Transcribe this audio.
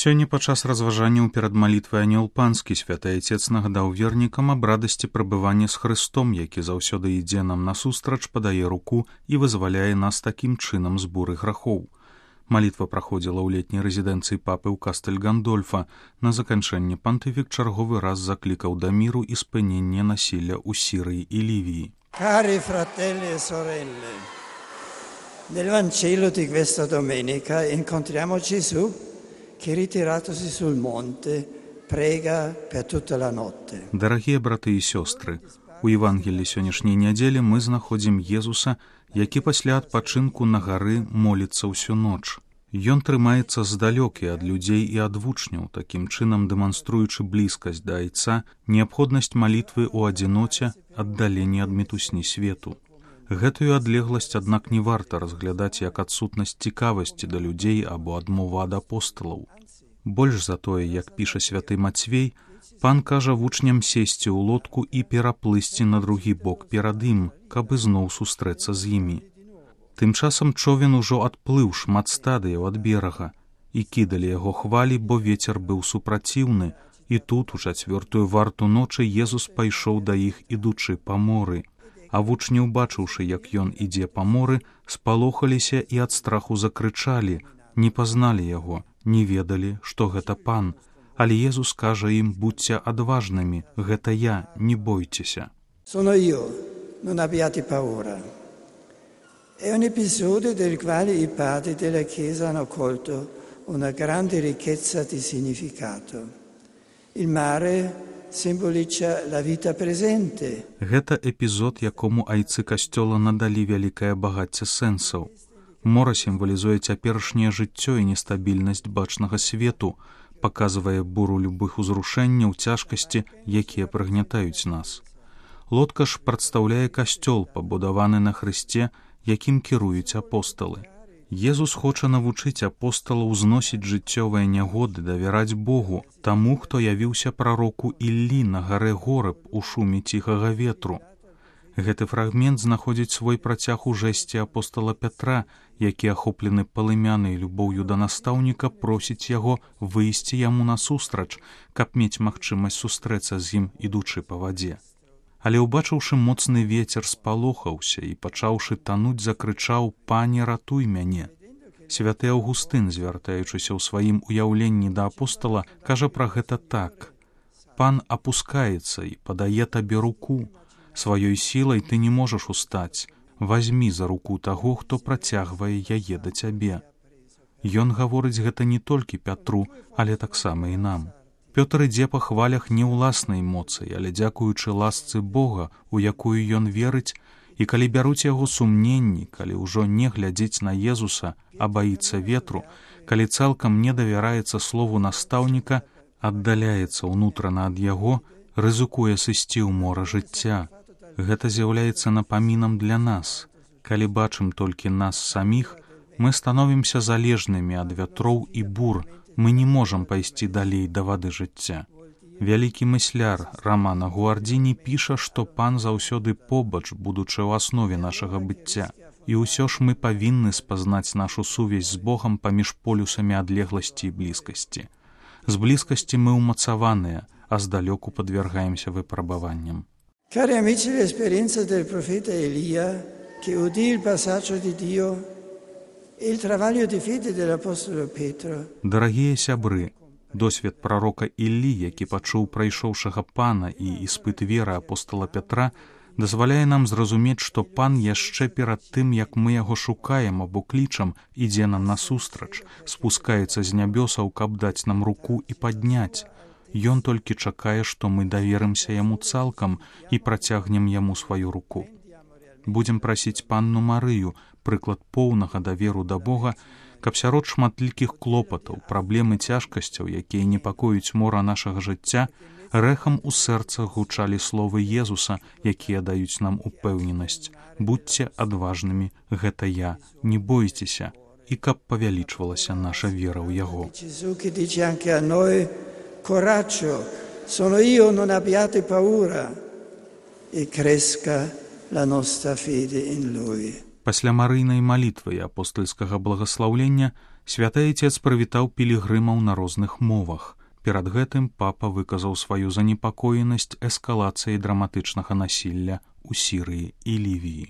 Сёння падчас разважанняў перад малітвай Анёл Панскі святы Айцец нагадаў вернікам аб радасці прабывання з Хрыстом, які заўсёды ідзе нам насустрач, падае руку і вызваляе нас такім чынам з буры грахоў. Малітва праходзіла ў летняй рэзідэнцыі папы ў Кастэль Гандольфа. На заканчэнне пантыфік чарговы раз заклікаў да міру і спынення насілля ў Сірыі і Лівіі. Cari fratelli e sorelle, nel Vangelo di questa domenica incontriamo Gesù che ritiratosi sul monte prega per tutta la notte. Дарагія браты і сёстры, у Евангелі сённяшняй нядзелі мы знаходзім Езуса, які пасля адпачынку на гары моліцца ўсю ноч. Ён трымаецца здалёк і ад людзей і ад вучняў, такім чынам дэманструючы блізкасць да Айца, неабходнасць малітвы ў адзіноце, аддаленні ад мітусні свету. Гэтую адлегласць, аднак, не варта разглядаць як адсутнасць цікавасці да людзей або адмову ад апосталаў. Больш за тое, як піша святы Мацвей, пан кажа вучням сесці ў лодку і пераплысці на другі бок перад ім, каб ізноў сустрэцца з імі. Тым часам човен ужо адплыў шмат стадыяў ад берага, і кідалі яго хвалі, бо вецер быў супраціўны, і тут, у 4-ю варту ночы, Езус пайшоў да іх, ідучы па моры. А вучні, убачыўшы, як ён ідзе па моры, спалохаліся і ад страху закрычалі, не пазналі яго, не ведалі, што гэта пан. Але Езус кажа ім: будзьце адважнымі, гэта я, не бойцеся. Sono io, non abbiate paura. È un episodio del quale i padri della Chiesa hanno colto una grande ricchezza di significato. Il mare simboliccia la vita presente. Гэта эпізод, якому айцы касцёла надалі вялікае багацце сэнсаў. Мора сімвалізуе цяперашняе жыццё і нестабільнасць бачнага свету, паказвае буру любых узрушэнняў, цяжкасці, якія прыгнятаюць нас. Лодка ж прадстаўляе касцёл, пабудаваны на Хрысце, якім кіруюць апосталы. Езус хоча навучыць апосталаў зносіць жыццёвыя нягоды, давяраць Богу, таму, хто явіўся прароку Іллі на гарэ Гораб у шуме ціхага ветру. Гэты фрагмент знаходзіць свой працяг у жэсце апостала Пятра, які, ахоплены палымянай любоўю да настаўніка, просіць яго выйсці яму насустрач, каб мець магчымасць сустрэцца з ім, ідучы па вадзе. Але, убачыўшы моцны вецер, спалохаўся і, пачаўшы тануць, закрычаў: «Пане, ратуй мяне!» Святы Аўгустын, звяртаючыся ў сваім уяўленні да апостала, кажа пра гэта так: «Пан апускаецца і падае табе руку. Сваёй сілай ты не можаш устаць. Вазьмі за руку таго, хто працягвае яе да цябе». Ён гаворыць гэта не толькі Пятру, але таксама і нам. Пётр ідзе па хвалях не ўласнай моцы, але дзякуючы ласцы Бога, у якую ён верыць, і калі бяруць яго сумненні, калі ўжо не глядзіць на Езуса, а баіцца ветру, калі цалкам не давяраецца слову настаўніка, аддаляецца ўнутрана ад яго, рызыкуе сысці ў мора жыцця. Гэта з'яўляецца напамінам для нас. Калі бачым толькі нас саміх, мы становімся залежнымі ад вятроў і бур, мы не можам пайсці далей да вады жыцця. Вялікі мысляр Рамана Гуардзіні піша, што пан заўсёды побач, будучы ў аснове нашага быцця. І ўсё ж мы павінны спазнаць нашу сувязь з Богам паміж полюсамі адлегласці і блізкасці. З блізкасці мы ўмацаваныя, а здалёку падвяргаемся выпрабаванням. Cari amici, l'esperienza del profeta Elia, che udì il passaggio di Dio, e il travaglio di fede dell'apostolo Pietro. Дарагія сябры, досвед прарока Іллі, які пачуў прайшоўшага пана, і іспыт веры апостала Пятра, дазваляе нам зразумець, што пан яшчэ перад тым, як мы яго шукаем або клічам, ідзе нам насустрач, спускаецца з нябёсаў, каб даць нам руку і падняць. Ён толькі чакае, што мы даверымся яму цалкам і працягнем яму сваю руку. Будзем прасіць панну Марыю, прыклад поўнага даверу да Бога, каб сярод шматлікіх клопатаў, праблем і цяжкасцяў, якія непакоюць мора нашага жыцця, рэхам у сэрцах гучалі словы Езуса, якія даюць нам упэўненасць: «Будзьце адважнымі, гэта я, не бойцеся», і каб павялічвалася наша вера ў яго. Coraggio, sono io, non abbiate paura, e cresca la nostra fede in Lui. Пасля марыйнай малітвы і апостальскага благаслаўлення Святы Айцец прывітаў пілігрымаў на розных мовах. Перад гэтым папа выказаў сваю занепакоенасць эскалацыяй драматычнага насілля ў Сірыі і Лівіі.